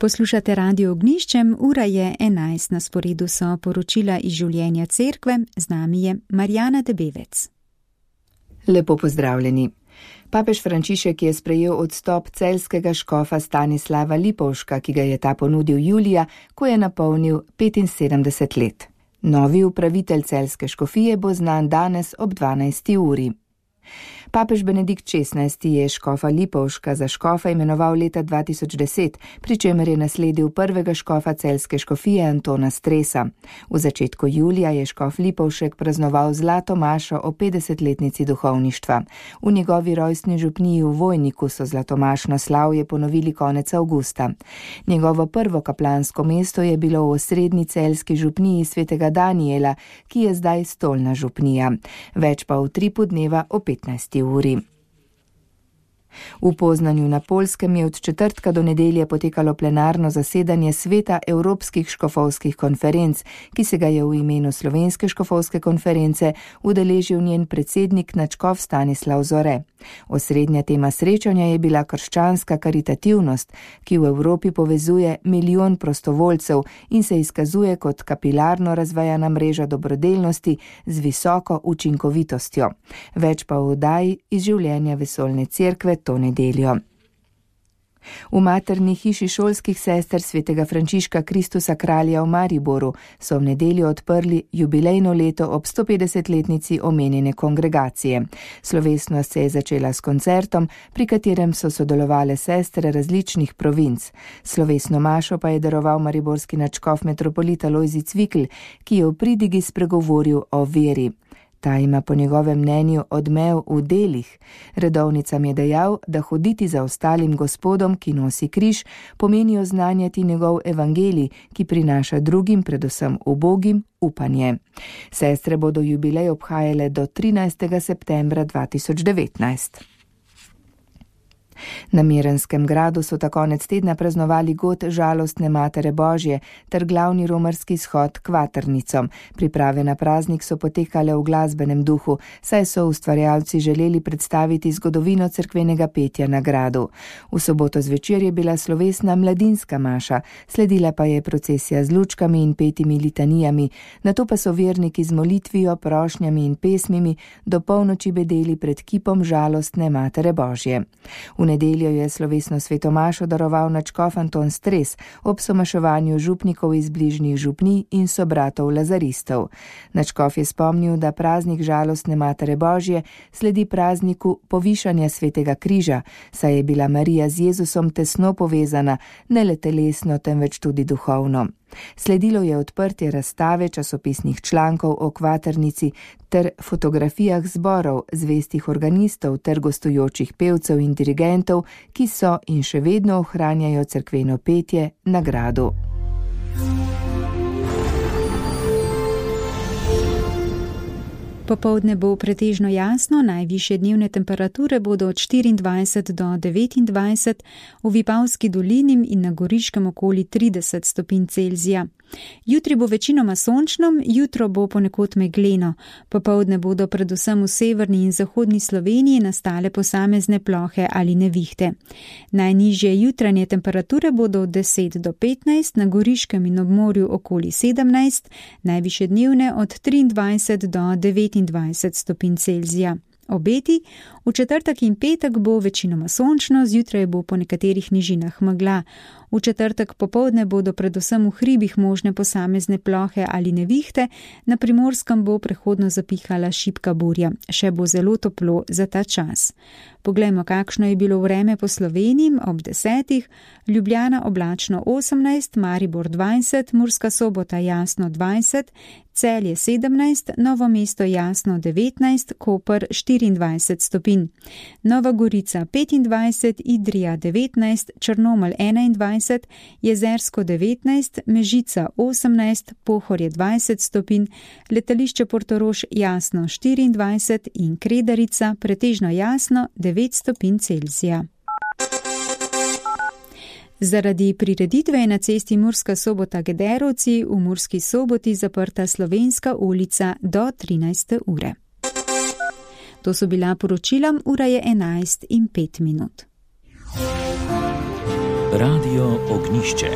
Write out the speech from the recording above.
Poslušate Radio Ognjiščem, ura je 11, na sporedu so poročila iz življenja cerkve, z nami je Marjana Debevec. Lepo pozdravljeni. Papež Frančišek je sprejel odstop celjskega škofa Stanislava Lipovška, ki ga je ta ponudil julija, ko je napolnil 75 let. Novi upravitelj celjske škofije bo znan danes ob 12. uri. Papež Benedikt XVI je škofa Lipovška za škofa imenoval leta 2010, pri čemer je nasledil prvega škofa celjske škofije Antona Stresa. V začetku julija je škof Lipovšek praznoval zlato mašo o 50-letnici duhovništva. V njegovi rojstni župniji v Vojniku so zlatomašno slavje ponovili konec avgusta. Njegovo prvo kaplansko mesto je bilo v osrednji celjski župniji svetega Danijela, ki je zdaj stolna župnija. Več pa v tripu dneva o 15. uri. V Poznanju na Poljskem je od četrtka do nedelje potekalo plenarno zasedanje Sveta Evropskih škofovskih konferenc, ki se ga je v imenu Slovenske škofovske konference udeležil njen predsednik nadškof Stanislav Zore. Osrednja tema srečanja je bila krščanska karitativnost, ki v Evropi povezuje milijon prostovoljcev in se izkazuje kot kapilarno razvejana mreža dobrodelnosti z visoko učinkovitostjo. Več pa v oddaji iz življenja vesoljne cerkve to nedeljo. V materni hiši šolskih sester svetega Frančiška Kristusa kralja v Mariboru so v nedeljo odprli jubilejno leto ob 150-letnici omenjene kongregacije. Slovesnost se je začela s koncertom, pri katerem so sodelovale sestre različnih provinc. Slovesno mašo pa je daroval mariborski nadškof metropolit Alojzij Cvikl, ki je v pridigi spregovoril o veri. Ta ima po njegovem mnenju odmev v delih. Redovnicam je dejal, da hoditi za ostalim gospodom, ki nosi križ, pomeni oznanjati njegov evangelij, ki prinaša drugim, predvsem ubogim, upanje. Sestre bodo jubilej obhajale do 13. septembra 2019. Na Mirenskem gradu so ta konec tedna praznovali god žalostne Matere Božje ter glavni romarski shod Kvatrnicom. Priprave na praznik so potekale v glasbenem duhu, saj so ustvarjalci želeli predstaviti zgodovino cerkvenega petja na gradu. V soboto zvečer je bila slovesna mladinska maša, sledila pa je procesija z lučkami in petimi litanijami, nato pa so verniki z molitvijo, prošnjami in pesmimi do polnoči bedeli pred kipom žalostne Matere Božje. V nedeljo je slovesno svetomašo daroval nadškof Anton Stres ob somaševanju župnikov iz bližnjih župnij in sobratov lazaristov. Nadškof je spomnil, da praznik žalostne Matere Božje sledi prazniku povišanja svetega križa, saj je bila Marija z Jezusom tesno povezana, ne le telesno, temveč tudi duhovno. Sledilo je odprtje razstave časopisnih člankov o Kvatrnici ter fotografijah zborov, zvestih organistov ter gostujočih pevcev in dirigentov, ki so in še vedno ohranjajo cerkveno petje na gradu. Popoldne bo pretežno jasno, najvišje dnevne temperature bodo od 24 do 29, v Vipavski dolini in na Goriškem okoli 30 stopinj Celzija. Jutri bo večinoma sončno, jutro bo ponekod megleno. Popoldne bodo predvsem v severni in zahodni Sloveniji nastale posamezne plohe ali nevihte. Najnižje jutranje temperature bodo od 10 do 15, na Goriškem in ob morju okoli 17, najvišje dnevne od 23 do 29 stopinj Celzija. Obeti, v četrtek in petek bo večinoma sončno, zjutraj bo po nekaterih nižinah megla. V četrtek popoldne bodo predvsem v hribih možne posamezne plohe ali nevihte, na Primorskem bo prehodno zapihala šibka burja. Še bo zelo toplo za ta čas. Poglejmo, kakšno je bilo vreme po Sloveniji ob 10. Ljubljana oblačno 18, Maribor 20, Murska Sobota jasno 20, Celje 17, Novo mesto jasno 19, Koper 24 stopinj. Nova Gorica 25, Idrija 19, Črnomelj 21, Jezersko 19, Mežica 18, Pohorje 20 stopinj, letališče Portorož jasno 24 in Kredarica pretežno jasno 9 stopinj Celzija. Zaradi prireditve je na cesti Murska Sobota-Gederovci v Murski Soboti zaprta Slovenska ulica do 13. ure. To so bila poročila, ura je 11:05. Radio Ognišče.